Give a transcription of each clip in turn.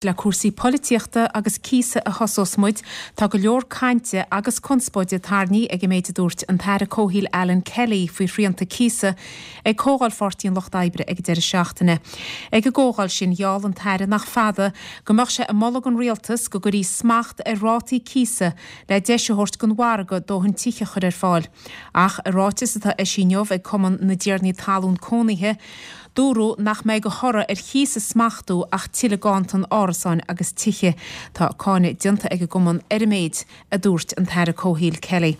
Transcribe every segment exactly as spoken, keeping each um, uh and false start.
Le cúrsaí polaitíochta agus cíosa a thosós muid, tá go leor cainte agus conspóide tarraingthe ag an méid a dúirt an tAire Comhshaoil Alan Kelly faoi shrianta cíosa ag Comhdháil Pháirtí an Lucht Oibre ag deireadh seachtaine. Ag an gcomhdháil sin gheall an tAire nach fada go mbeadh sé ag moladh don rialtas go gcuirfí smacht ar rátaí cíosa le deis a thabhairt don mhargadh dóthain tithe a chur ar fáil. Ach i ráiteas atá eisithe inniu ag Cumann na dTiarnaí Talún Cónaithe, Dúradh nach mbeidh de thoradh ar chíos a smachtú ach tuilleadh ganntan árasáin agus tithe. Tá cáineadh déanta ag an gcumann ar an méid a dúirt an tAire Comhshaoil Kelly.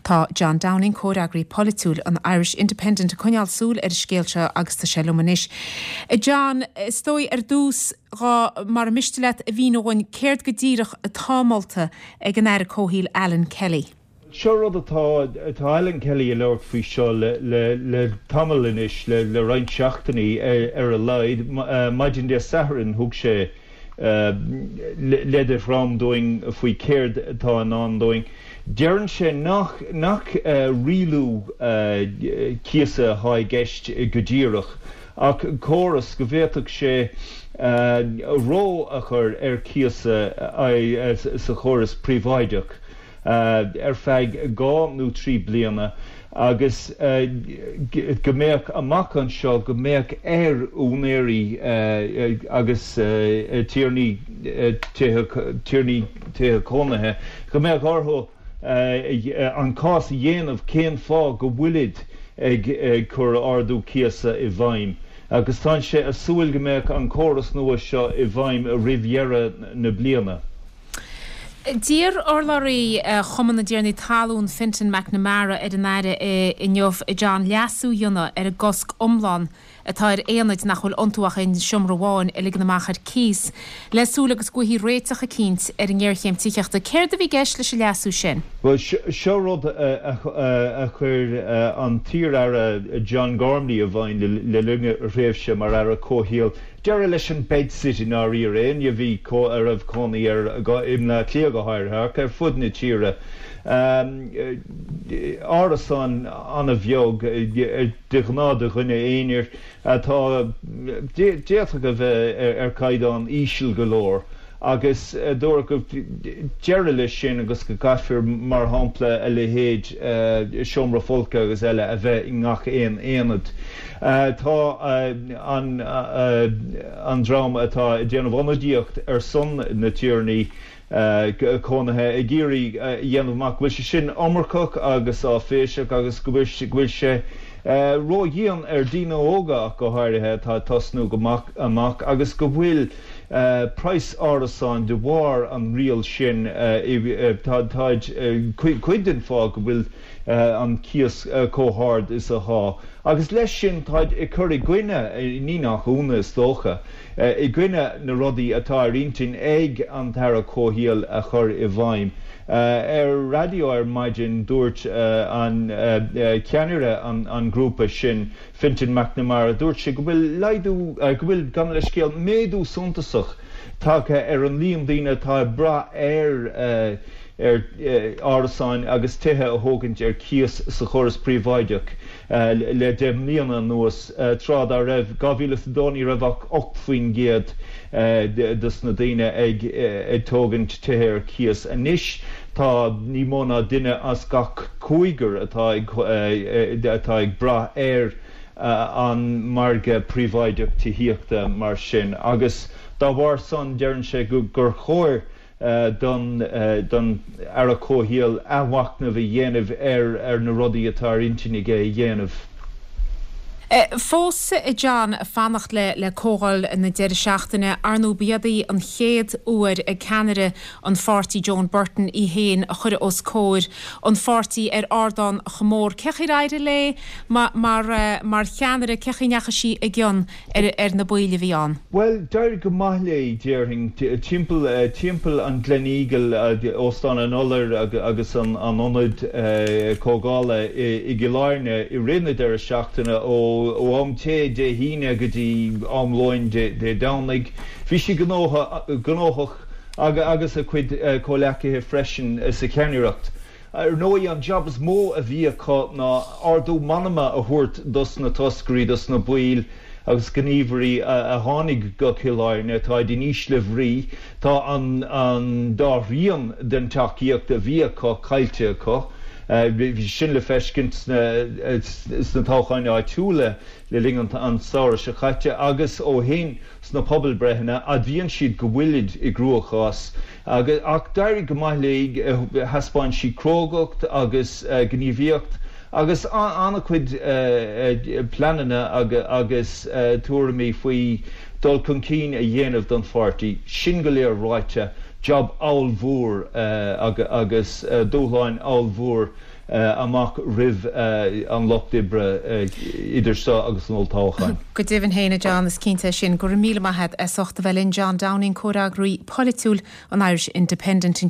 Tá John Downing, comhfhreagraí polaitiúil an Irish Independent ag coinneáil súil ar an scéal seo agus tá sé liom anois. John, is dóigh ar dtús dhá mar miste leat a mhíniú dhúinn céard go díreach atá molta ag an Aire Comhshaoil Alan Kelly. Seo rud atá tá Alan Kelly ag labhairt faoi seo le, le, le tamall anois le, le roinnt seachtainí ar, ar a laghad maidin Dé Sathairn thug sé uh, leid de dhroim dúinn faoi céard atá i ndán dúinn. Deireann sé nach nach uh, rialú uh, cíosa atá i gceist go díreach ach córas go bhféadfadh sé uh, reo a chur ar cíosa uh, sa chóras príobháideach. Uh, ar feadh dhá nó trí bliana agus uh, go mbeadh amach anseo go mbeadh ar úinéirí uh, agus tiarnaí tiarnaí tithe cónaithe go mbeadh orthu an cás a dhéanamh cén fáth go bhfuilid ag, ag cur ardú cíosa i bhfeidhm. agus tá sé ag súil go mbeadh an córas nua seo i bhfeidhm roimh dheireadh na bliana. D'iarr urlabhraí Chumann na dTiarnaí Talún Fintan McNamara ar an Aire inniu John leasú a dhéanamh ar an gcosc iomlán atá ar aonaid nach bhfuil iontu ach aon seomra amháin a ligean amach ar cíos, le súil agus go bhfaighfí réiteach eicínt ar an ngéarchéim tithíochta. Céard a bhí i gceist leis an leasú sin? Well seo rud a chuir an t-iar-aire John Gormley i bhfeidhm le linn a thréimhse mar aire comhshaoil. Deireadh leis an bedsit i ndáiríre éinne a bhí a raibh cónaí air i mBleá Cliath go háirithe ach ar fud na tíre. Árasán an-bheag de ghnáth do dhuine aonair atá d'fhéadfadh a bheith ar chaighdeán íseal go leor. agus dúradh go deireadh leis sin agus go gcaithfear mar shampla a leithéid seomra folctha agus eile a bheith i ngach aon aonad. Tá an an dream atá ag déanamh ionadaíocht ar son na tiarnaí cónaithe ag iarraidh a dhéanamh amach go bhfuil sé sin iomarcach agus áiféiseach agus go bhfuil sé ródhian ar daoine óga ach go háirithe atá ag tosnú go amach agus go bhfuil praghas árasáin de bharr an riail sin tá cuid den fáth go bhfuil an cíos chomh hard is atá. Agus leis sin táid ag cur i gcoinne ní nach ionadh is dócha, i gcoinne na rudaí atá ar intinn ag an tAire Comhshaoil a chur i bhfeidhm. Ar raidió ar maidin dúirt an ceannaire an grúpa sin Fintan McNamara dúirt sé go bhfuil laghdú go bhfuil gan le scéal méadú suntasach tagtha ar an líon daoine atá ag brath ar ar árasáin agus tithe a thógaint ar cíos sa chóras príobháideach le deich mbliana anuas tráth dá raibh dhá mhíle is a dó ní raibh ach ocht faoin gcéad dos na daoine ag ag tógaint tithe ar cíos. Anois tá ní mó ná duine as gach cúigear atá ag atá ag brath ar an margadh príobháideach tithíochta mar sin agus dá bharr san deireann sé gur chóir don don Aire Comhshaoil athmhachnamh a dhéanamh ar ar na rudaí atá ar intinn aige a dhéanamh. Fós John fanacht le le comhdháil na deireadh seachtaine ar ndóigh b'iod í an chéad uair ag ceannaire an pháirtí Joan Burton í féin a chur os comhair an pháirtí ar ardán chomh mór. Cén chaoi ar éirigh léi mar mar cheannaire cén chaoi a ndeachaigh sí i gcion ar ar na baill a bhí ann? Bhuel, d'éirigh go maith léi déarfainn timpeall timpeall an Gleneagle Óstán an Iolair agus an an ionad comhdhála i gCill Airne i rith na deireadh seachtaine ó ó am tae Dé hAoine go dtí am lóin Dé Domhnaigh. Bhí sí gnóthach agus a cuid comhleacaithe freisin sa cheannaireacht. Ar ndóigh an jab is mó a bhí acu ná ardú meanma a thabhairt dos na toscairí dos na baill agus gníomhairí a tháinig go Cill Airne tá in ísle bhrí tá an, an dá thrian den tacaíocht a bhí acu caillte acu. Bhí sin le feiscint sna toghcháin áitiúla le linn an tsamhraidh seo caite agus ó shin sna pobalbreitheanna admhaíonn siad go bhfuilid i gcruachás agus ach d'éirigh go maith léi thaispeáin sí crógacht agus gníomhaíocht agus an-chuid pleananna agus tuairimí faoi dul chun cinn a dhéanamh don pháirtí sin go léir ráite job ollmhór agus dúshláin ollmhór amach roimh an lucht oibre idir seo agus an olltoghchán. Go deimhin féin John is cinnte sin go raibh míle maith agat as ucht a bheith linn John Downing comhfhreagraí polaitiúil an Irish Independent.